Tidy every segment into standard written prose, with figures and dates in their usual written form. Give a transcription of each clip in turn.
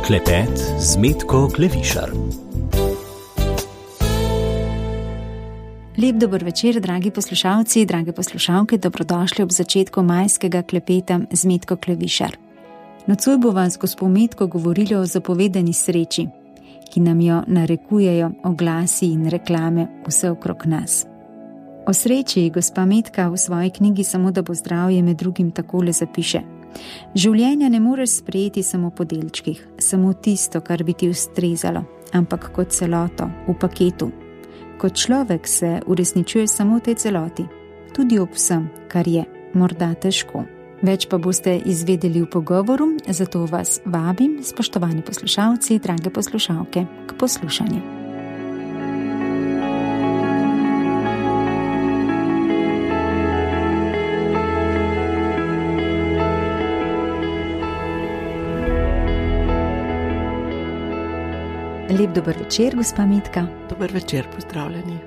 Klepet z Metko Klevišar. Lep dober večer, dragi poslušalci, drage poslušalke, dobrodošli ob začetku majskega klepeta z Metko Klevišar. Nocoj bo vas gospo Metko govorili o zapovedani sreči, ki nam jo narekujejo oglasi in reklame vse okrog nas. O sreči gospa Metka v svoji knjigi Samo da bo zdravje med drugim takole zapiše: življenja ne moreš sprejeti samo po delčkih, samo tisto, kar bi ti ustrezalo, ampak kot celoto, v paketu. Kot človek se uresničuje samo v tej celoti, tudi ob vsem, kar je morda težko. Več pa boste izvedeli v pogovoru, zato vas vabim, spoštovani poslušalci, drage poslušalke, k poslušanju. Lep dober večer, gospa Metka. Dober večer, pozdravljeni.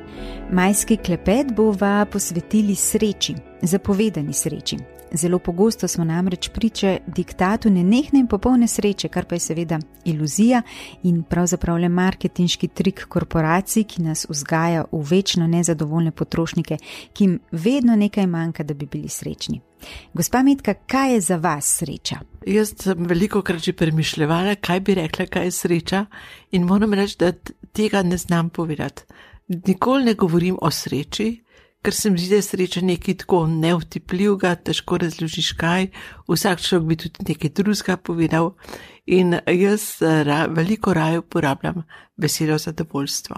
Majski klepet bova posvetili sreči, zapovedani sreči. Zelo pogosto smo namreč priče diktatu nenehne in popolne sreče, kar pa je seveda iluzija in pravzaprav le marketinški trik korporacij, ki nas vzgaja v večno nezadovoljne potrošnike, ki jim vedno nekaj manjka, da bi bili srečni. Gospa Metka, kaj je za vas sreča? Jaz sem velikokrat že premišljevala, kaj bi rekla, kaj je sreča, in moram reči, da tega ne znam povedati. Nikoli ne govorim o sreči, ker se mi zdi, da je sreča nekaj tako neutipljivega, težko razložiš kaj, vsak človek bi tudi nekaj drugega povedal, in jaz veliko raje uporabljam besedo zadovoljstvo.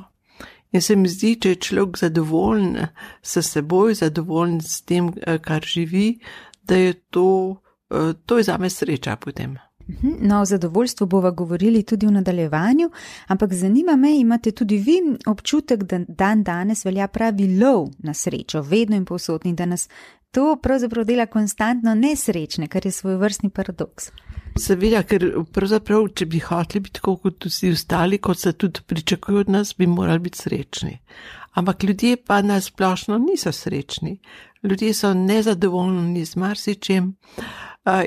In se mi zdi, če je človek zadovoljen s seboj, zadovoljen s tem, kar živi, da je to je zame sreča potem. No, o zadovoljstvu bova govorili tudi v nadaljevanju, ampak zanima me, imate tudi vi občutek, da dan danes velja pravi lov na srečo, vedno in povsod, in da nas to pravzaprav dela konstantno nesrečne, kar je svojevrstni paradoks. Seveda, ker pravzaprav, če bi hoteli biti tako kot vsi ostali, kot se tudi pričakujejo od nas, bi morali biti srečni. Ampak ljudje pa na splošno niso srečni. Ljudje so nezadovoljni z marsičem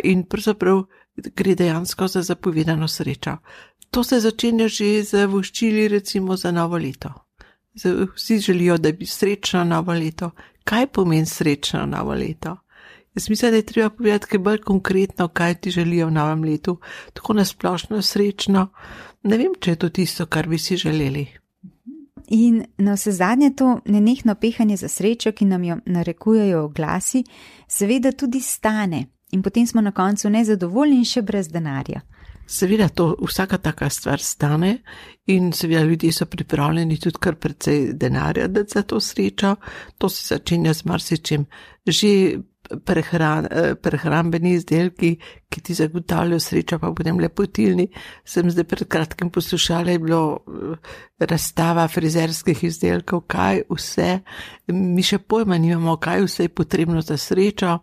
in pravzaprav gre dejansko za zapovedano srečo. To se začenja že z voščili recimo za novo leto. Vsi želijo, da bi srečno novo leto. Kaj pomeni srečno novo leto? Jaz mislim, da je treba povedati kaj bolj konkretno, kaj ti želijo v novem letu. Tako nasplošno srečno. Ne vem, če je to tisto, kar bi si želeli. In na vse zadnje to nenehno pehanje za srečo, ki nam jo narekujejo oglasi, seveda tudi stane. In potem smo na koncu nezadovoljni in še brez denarja. Seveda to, vsaka taka stvar stane in seveda ljudje so pripravljeni tudi kar precej denarja dati za to srečo. To se začenja z marsičem. Že prehrambeni izdelki, ki ti zagotavljajo srečo, pa potem lepotilni. Sem zdaj pred kratkim poslušala, je bilo razstava frizerskih izdelkov, kaj vse, mi še pojma nimamo, kaj vse je potrebno za srečo.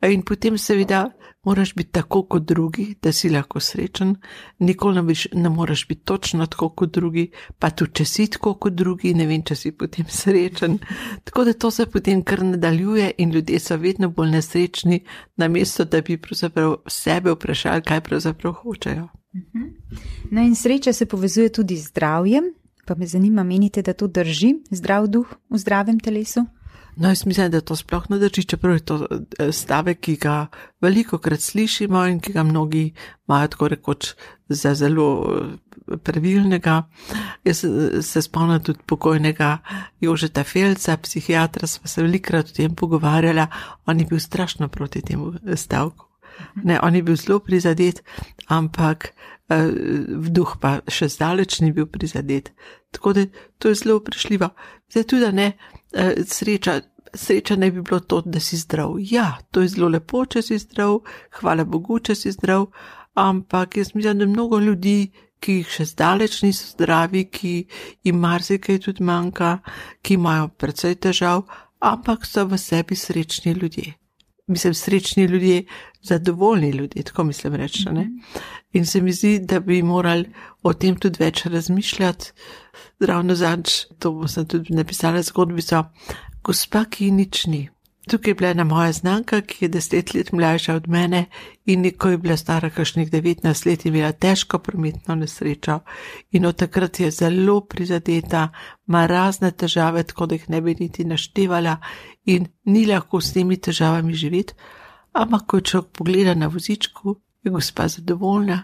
In potem seveda moraš biti tako kot drugi, da si lahko srečen, nikoli ne moraš biti točno tako kot drugi, pa tudi če si tako kot drugi, ne vem, če si potem srečen. Tako da to se potem kar nadaljuje in ljudje so vedno bolj nesrečni, namesto da bi pravzaprav sebe vprašali, kaj pravzaprav hočejo. No in sreča se povezuje tudi z zdravjem, pa me zanima, menite, da to drži, zdrav duh v zdravem telesu? No, jaz mislim, da to sploh ne drži, čeprav je to stavek, ki ga velikokrat slišimo in ki ga mnogi imajo tako rekoč za zelo pravilnega. Jaz se spomnim tudi pokojnega Jožeta Felca, psihiatra, sva se velikokrat o tem pogovarjala, on je bil strašno proti temu stavku. Ne, on je bil zelo prizadet, ampak vduh pa še zdaleč ni bil prizadet. Tako da to je zelo vprašljivo. Zdaj tudi, da ne, sreča ne bi bilo to, da si zdrav. Ja, to je zelo lepo, če si zdrav, hvala Bogu, če si zdrav, ampak jaz mislim, da mnogo ljudi, ki jih še zdaleč niso zdravi, ki jim marsikaj tudi manjka, ki imajo precej težav, ampak so v sebi srečni ljudje. Mislim, srečni ljudje, zadovoljni ljudje, tako mislim reči, ne? In se mi zdi, da bi morali o tem tudi več razmišljati. Ravno zadnjič, to sem tudi napisala zgodbico, gospa, ki nič ni. Tukaj je bila ena moja znanka, ki je 10 let mlajša od mene in ko je bila stara kakšnih 19 let, je imela težko prometno nesrečo in od takrat je zelo prizadeta, ima razne težave, tako da jih ne bi niti naštevala in ni lahko s temi težavami živeti, ampak ko človek pogleda na vozičku, je gospa zadovoljna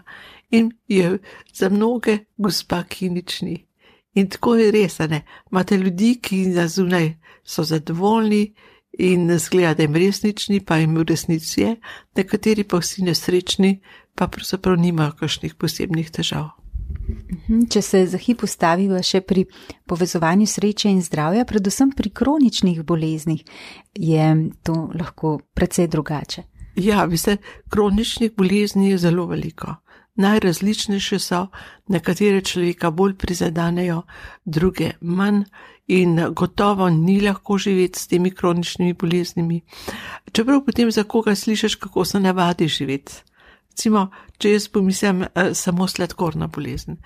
in je za mnoge gospa, ki nič ni. In tako je res, ne? Imate ljudi, ki na zunaj so zadovoljni in zgleda, da jim res nič ni, pa jim v resnici je, nekateri pa vsi nesrečni, pa pravzaprav nimajo kakšnih posebnih težav. Če se za hip ustaviva še pri povezovanju sreče in zdravja, predvsem pri kroničnih boleznih, je to lahko precej drugače. Ja, veste, kroničnih bolezni je zelo veliko. Najrazličnejše so, nekatere človeka bolj prizadanejo, druge manj in gotovo ni lahko živeti s temi kroničnimi boleznimi. Čeprav potem za koga slišiš, kako se navadi živeti. Recimo, če jaz pomislim samo sladkorna bolezen.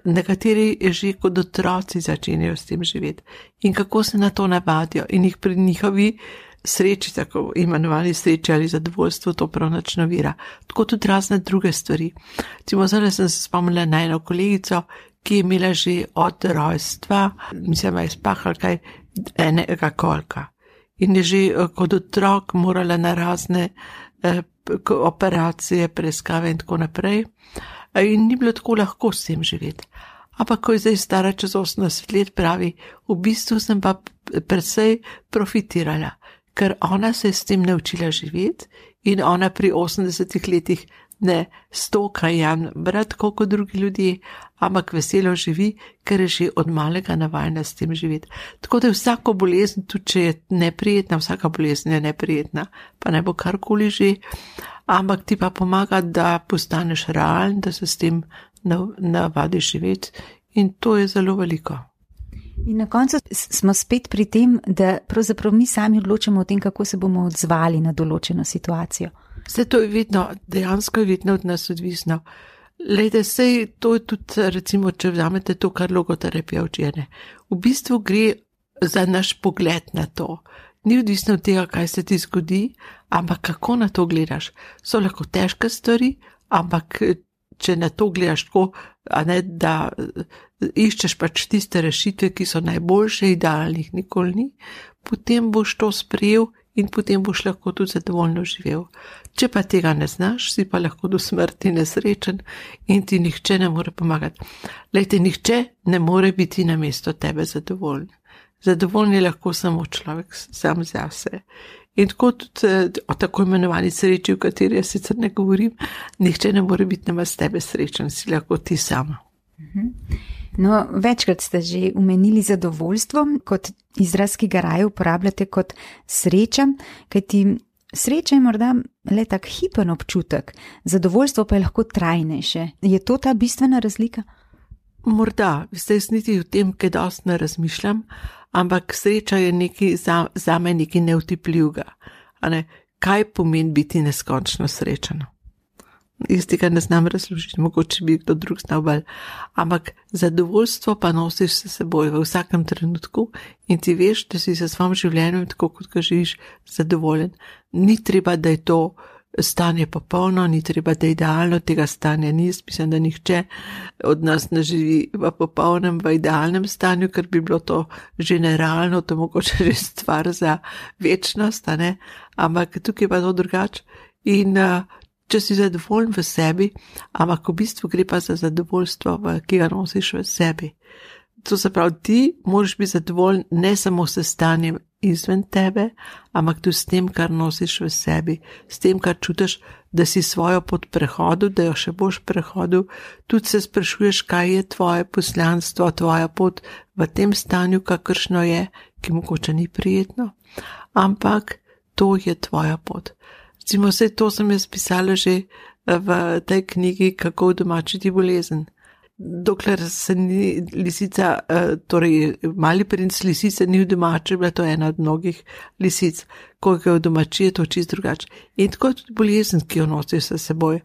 Nekateri že kot otroci začenjajo s tem živeti in kako se na to navadijo in jih pri njihovi sreči, tako imenovani sreči ali zadovoljstvo, to prav nič ne ovira. Tako tudi razne druge stvari. Recimo, zdaj sem se spomnila na eno kolegico, ki je imela že od rojstva, mislim, da je spahal kaj enega kolka. In je že kot otrok morala na razne operacije, preiskave in tako naprej. In ni bilo tako lahko s tem živeti. Ampak ko je zdaj stara čez 80 let, pravi, v bistvu sem pa precej profitirala, ker ona se je s tem naučila živeti in ona pri 80 letih ne stoka Jan brat, kot drugi ljudje, ampak veselo živi, ker je že od malega navajena s tem živeti. Tako da je vsako bolezen, tudi če je neprijetna, vsaka bolezen je neprijetna, pa ne bo karkoli že, ampak ti pa pomaga, da postaneš realen, da se s tem navadiš živeti in to je zelo veliko. In na koncu smo spet pri tem, da pravzaprav mi sami odločamo o tem, kako se bomo odzvali na določeno situacijo. Vse to je vedno, dejansko je vedno od nas odvisno. Lejte, sej to je tudi, recimo, če vzamete to, kar logoterapija učene. V bistvu gre za naš pogled na to. Ni odvisno od tega, kaj se ti zgodi, ampak kako na to gledaš. So lahko težke stvari, ampak če na to gledaš tako, a ne, da iščeš pač tiste rešitve, ki so najboljše, idealnih nikoli ni, potem boš to sprejel in potem boš lahko tudi zadovoljno živel. Če pa tega ne znaš, si pa lahko do smrti nesrečen in ti nihče ne more pomagati. Lejte, nihče ne more biti namesto tebe zadovoljen. Zadovoljen je lahko samo človek sam zase. In tako tudi o tako imenovani sreči, v kateri jaz sicer ne govorim, nihče ne more biti namesto tebe srečen, si lahko ti sama. No, večkrat ste že omenili zadovoljstvo kot izraz, ki ga raje uporabljate kot sreča, kajti sreča je morda le tak hipen občutek, zadovoljstvo pa je lahko trajnejše. Je to ta bistvena razlika? Morda, jaz niti o tem, kaj dosti ne razmišljam, ampak sreča je nekaj zame nekaj neutipljivega. Kaj pomeni biti neskončno srečen? Jaz tega ne znam razložiti, mogoče bi kdo drug znal bolj, ampak zadovoljstvo pa nosiš se seboj v vsakem trenutku in ti veš, da si se svojim življenjem, tako kot ga živiš, zadovoljen. Ni treba, da je to stanje popolno, ni treba, da je idealno, tega stanja ni. Mislim, da nihče od nas ne živi v popolnem, v idealnem stanju, ker bi bilo to že nerealno, to mogoče že stvar za večnost, ampak tukaj pa to drugače. In če si zadovoljen v sebi, ampak v bistvu gre pa za zadovoljstvo, ki ga nosiš v sebi. To se pravi, ti moraš biti zadovoljen ne samo s stanjem izven tebe, ampak tudi s tem, kar nosiš v sebi, s tem, kar čutiš, da si svojo pot prehodil, da jo še boš prehodil, tudi se sprašuješ, kaj je tvoje poslanstvo, tvoja pot v tem stanju, kakršno je, ki mogoče ni prijetno, ampak to je tvoja pot. Recimo, vse to sem jaz pisala že v tej knjigi, kako udomačiti bolezen. Dokler se ni lisica, torej Mali princ lisice ni udomačil, bila to ena od mnogih lisic, ko ga udomači, je to čisto drugače. In tako je tudi bolezen, ki jo nosiš s seboj.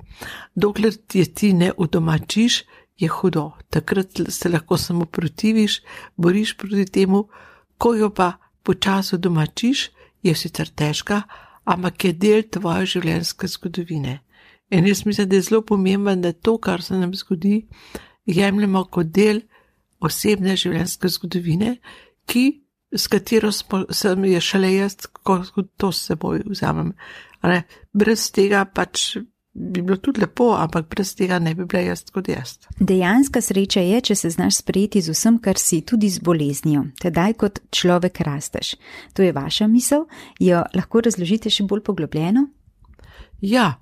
Dokler ti ne udomačiš, je hudo. Takrat se lahko samo protiviš, boriš proti temu, ko jo pa počasi udomačiš, je sicer težka, ampak je del tvoje življenjske zgodovine. In jaz mislim, da je zelo pomembno, da to, kar se nam zgodi, jemljemo kot del osebne življenjske zgodovine, s katero sem je šele jaz, ko to s seboj vzamem. Brez tega pač bi bilo tudi lepo, ampak brez tega ne bi bila jaz kot jaz. Dejanska sreča je, če se znaš sprejeti z vsem, kar si, tudi z boleznijo, tedaj kot človek rasteš. To je vaša misel, jo lahko razložite še bolj poglobljeno? Ja,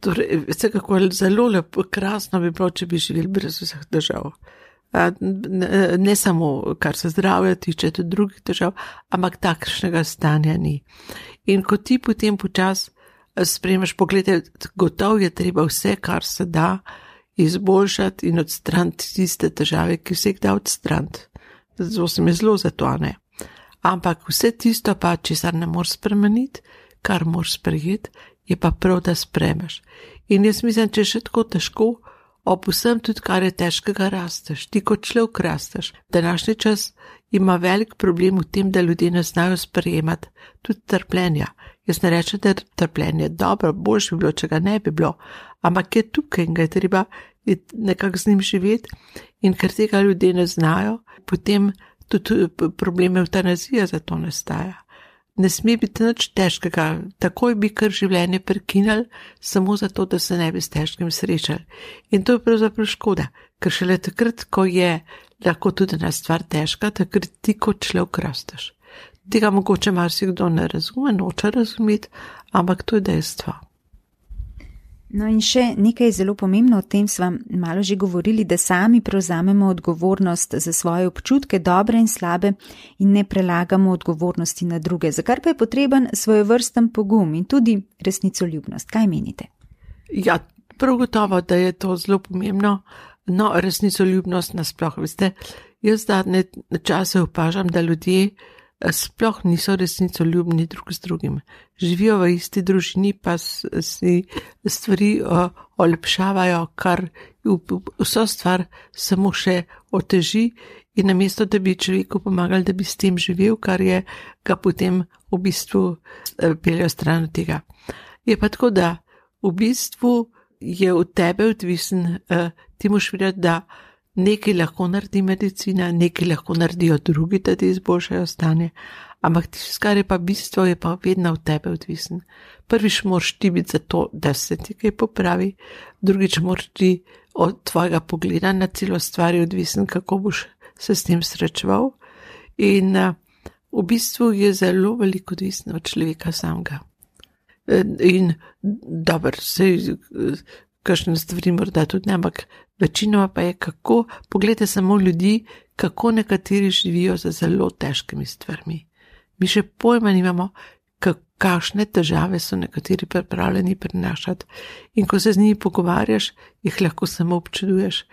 torej, vsekakor zelo lepo, krasno bi bilo, če bi živeli brez vseh težav. Ne samo, kar se zdravja tiče, tudi drugih težav, ampak takšnega stanja ni. In ko ti potem počas sprejmeš, pogledaj, gotovo je treba vse, kar se da, izboljšati in odstraniti tiste težave, ki se jih da odstraniti. Zato se mi zelo za to, ne. Ampak vse tisto pa, česar ne moreš spremeniti, kar moraš sprejeti, je pa prav, da spremeš. In jaz mislim, če je še tako težko, ob vsem tudi, kar je težkega, rasteš. Ti kot človek rasteš. Današnji čas ima velik problem v tem, da ljudje ne znajo sprejemati tudi trpljenja. Jaz ne rečem, da je trpljenje dobro, boljše bi bilo, če ga ne bi bilo, ampak je tukaj in ga je treba nekako z njim živeti, in ker tega ljudje ne znajo, potem tudi probleme evtanazije zato nastaja. Ne sme biti nič težkega, takoj bi kar življenje prekinali, samo zato, da se ne bi s težkim srečali. In to je pravzaprav škoda, ker šele takrat, ko je lahko tudi ena stvar težka, takrat ti kot človek rasteš. Tega mogoče marsikdo ne razume, noče razumeti, ampak to je dejstvo. No in še nekaj zelo pomembno, o tem sva malo že govorili, da sami prevzamemo odgovornost za svoje občutke, dobre in slabe, in ne prelagamo odgovornosti na druge, za kar pa je potreben svojevrsten pogum in tudi resnicoljubnost. Kaj menite? Ja, prav gotovo, da je to zelo pomembno. No, resnicoljubnost nasploh, veste, jaz zadnje čase opažam, da ljudje sploh niso resnicoljubni drug z drugim. Živijo v isti družini, pa si stvari olepšavajo, kar vso stvar samo še oteži, in namesto, da bi človeku pomagali, da bi s tem živel, kar je ga potem v bistvu peljo stran od tega. Je pa tako, da v bistvu je od tebe odvisen, ti moš videti, da nekaj lahko naredi medicina, nekaj lahko naredijo drugi, da ti izboljšajo stanje, ampak tisto, kar je pa bistvo, je pa vedno od tebe odvisen. Prvič moraš ti biti za to, da se ti kaj popravi, drugič moraš ti od tvojega pogleda na celo stvar odvisen, kako boš se s tem srečeval, in v bistvu je zelo veliko odvisno od človeka samega. In dober, kakšne stvari morda tudi ne, ampak večinoma pa je kako, pogledajte samo ljudi, kako nekateri živijo za zelo težkimi stvarmi. Mi še pojma nimamo, kakšne težave so nekateri pripravljeni prenašati, in ko se z njimi pogovarjaš, jih lahko samo občuduješ.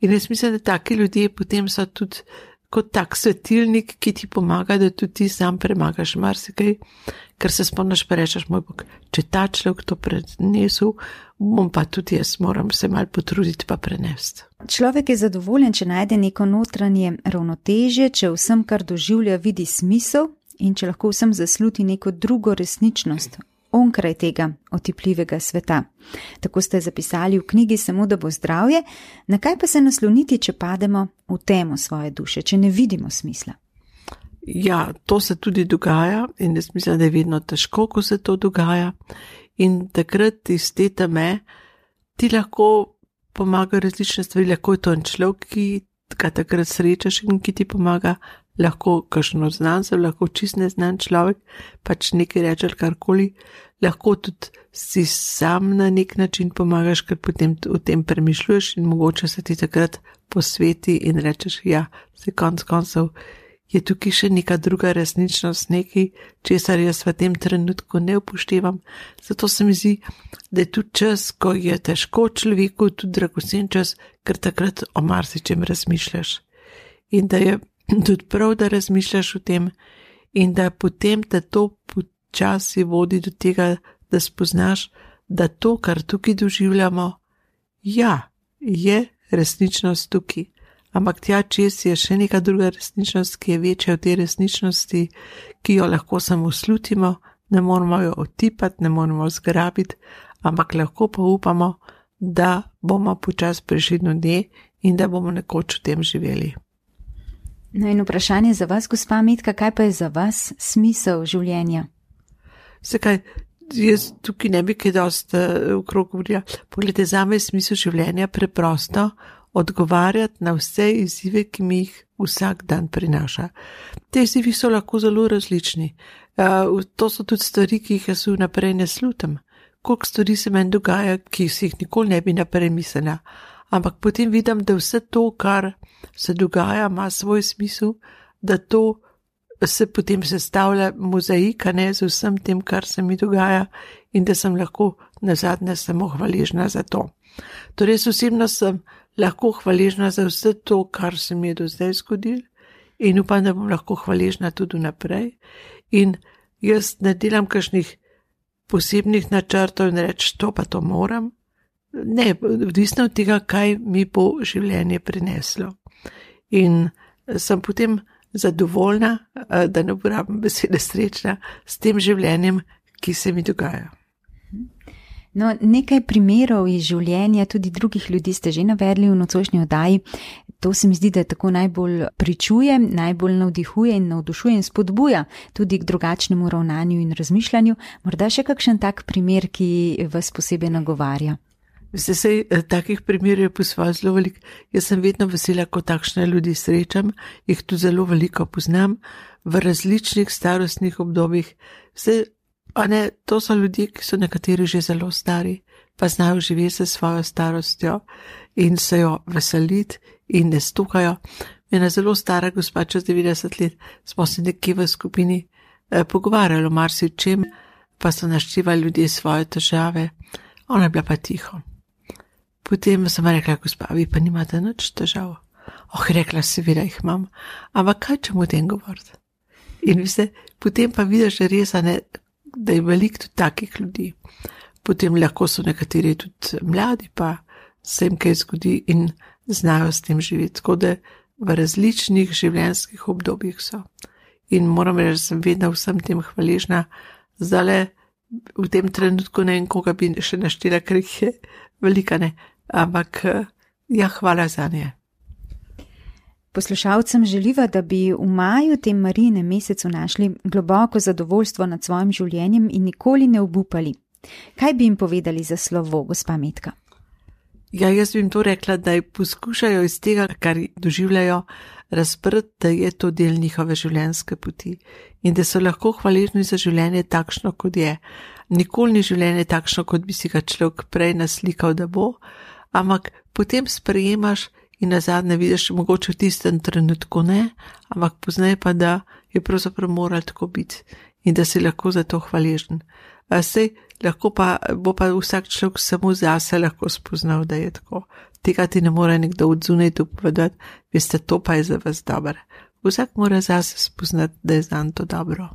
In jaz mislim, da taki ljudje potem so tudi kot tak svetilnik, ki ti pomaga, da tudi ti sam premagaš marsikaj, ker se spomniš pa rečeš, moj Bog, če ta človek to prenesel, bom pa tudi jaz, moram se malo potruditi pa prenesti. Človek je zadovoljen, če najde neko notranje ravnotežje, če vsem, kar doživlja, vidi smisel in če lahko vsem zasluti neko drugo resničnost onkraj tega otipljivega sveta. Tako ste zapisali v knjigi Samo da bo zdravje. Na kaj pa se nasloniti, če pademo v temo svoje duše, če ne vidimo smisla? Ja, to se tudi dogaja in jaz mislim, da je vedno težko, ko se to dogaja, in takrat iz te teme ti lahko pomagajo različne stvari, lahko je to en človek, ki ga takrat srečaš in ki ti pomaga, lahko kakšno znancev, lahko čist neznan človek, pač nekaj reče ali karkoli, lahko tudi si sam na nek način pomagaš, ker potem o tem premišljuješ in mogoče se ti takrat posveti in rečeš, ja, se konc koncev je tukaj še neka druga resničnost, nekaj, česar jaz v tem trenutku ne upoštevam. Zato se mi zdi, da je tudi čas, ko je težko človeku, tudi dragocen čas, ker takrat o marsičem razmišljaš. In da je tudi prav, da razmišljaš o tem in da potem te to počasi vodi do tega, da spoznaš, da to, kar tukaj doživljamo, ja, je resničnost tukaj. Ampak tja čez je še neka druga resničnost, ki je večja od te resničnosti, ki jo lahko samo slutimo, ne moramo jo otipati, ne moramo zgrabiti, ampak lahko pa upamo, da bomo počasi prišli do nje in da bomo nekoč v tem živeli. No in vprašanje za vas, gospa Metka, kaj pa je za vas smisel življenja? Zakaj, jaz tukaj ne bi kaj dosti okrog govorila. Poglejte, zame je smisel življenja preprosto odgovarjati na vse izzive, ki mi jih vsak dan prinaša. Te izzivi so lahko zelo različni. To so tudi stvari, ki jih jaz vnaprej ne slutim. Koliko stvari se meni dogaja, ki si jih nikoli ne bi naprej mislila. Ampak potem vidim, da vse to, kar se dogaja, ima svoj smisel, da to se potem sestavlja mozaika, ne, z vsem tem, kar se mi dogaja in da sem lahko nazadnje samo hvaležna za to. Torej, osebno sem lahko hvaležna za vse to, kar se mi je do zdaj zgodilo in upam, da bom lahko hvaležna tudi naprej. In jaz ne delam kakšnih posebnih načrtov in reči, to pa to moram. Ne, odvisno od tega, kaj mi bo življenje prineslo. In sem potem zadovoljna, da ne uporabim besede srečna, s tem življenjem, ki se mi dogaja. No, nekaj primerov iz življenja tudi drugih ljudi ste že navedli v nocojšnji oddaji. To se mi zdi, da tako najbolj pričuje, najbolj navdihuje in navdušuje in spodbuja tudi k drugačnemu ravnanju in razmišljanju. Morda še kakšen tak primer, ki vas posebej nagovarja? Veste, sej takih primerov je po svoje zelo veliko. Jaz sem vedno vesela, ko takšne ljudi srečam, jih tu zelo veliko poznam v različnih starostnih obdobjih. To so ljudje, ki so nekateri že zelo stari, pa znajo živeti s svojo starostjo in se jo veseliti in ne stukajo. Ena zelo stara gospa, čez 90 let, smo se nekje v skupini pogovarjali o marsičem, pa so naštevali ljudje svoje težave. Ona je bila pa tiho. Potem sem rekla, gospa, vi pa nimate nič težav. Rekla, seveda jih imam, ampak kaj čem o tem govoriti? In potem pa vidiš res, da je veliko tudi takih ljudi. Potem lahko so nekateri tudi mladi, pa se jim kaj zgodi in znajo s tem živeti. Tako da v različnih življenjskih obdobjih so. In moram reči, da sem vedno vsem tem hvaležna. Zdaj v tem trenutku ne vem, koga bi še naštela, ker jih je velika, ne. Ampak ja, hvala za nje. Poslušalcem želiva, da bi v maju, tem Marijinem mesecu, našli globoko zadovoljstvo nad svojim življenjem in nikoli ne obupali. Kaj bi jim povedali za slovo, gospa Metka? Ja, jaz bi jim to rekla, da poskušajo iz tega, kar doživljajo, razprti, da je to del njihove življenjske poti in da so lahko hvaležni za življenje takšno, kot je. Nikoli ni življenje takšno, kot bi si ga človek prej naslikal, da bo, ampak potem sprejemaš in nazadnje vidiš, mogoče v tistem trenutku ne, ampak poznaj pa, da je pravzaprav moral tako biti in da si lahko za to hvaležen. Lahko pa bo pa vsak človek samo zase lahko spoznal, da je tako. Tega ti ne more nekdo od zunaj povedati, veste, to pa je za vas dobro. Vsak mora zase spoznati, da je zanj to dobro.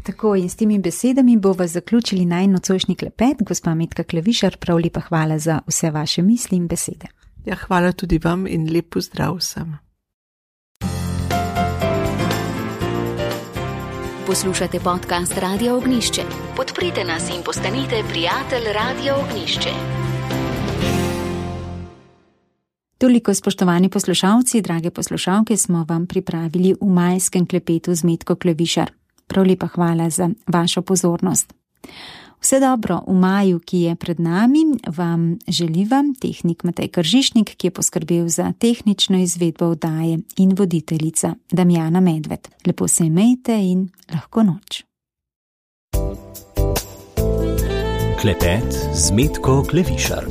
Tako, in s temi besedami bova zaključili najin nocojšnji klepet. Gospa Metka Klevišar, prav lepa hvala za vse vaše misli in besede. Ja, hvala tudi vam in lep pozdrav vsem. Poslušate podcast Radia Ognjišče. Podprite nas in postanite prijatelj Radia Ognjišče. Toliko, spoštovani poslušalci, drage poslušalke, smo vam pripravili v majskem klepetu z Metko Klevišar. Prav lepa hvala za vašo pozornost. Vse dobro v maju, ki je pred nami, vam želiva tehnik Matej Kržišnik, ki je poskrbel za tehnično izvedbo oddaje, in voditeljica Damjana Medved. Lepo se imejte in lahko noč. Klepet z Metko Klevišar.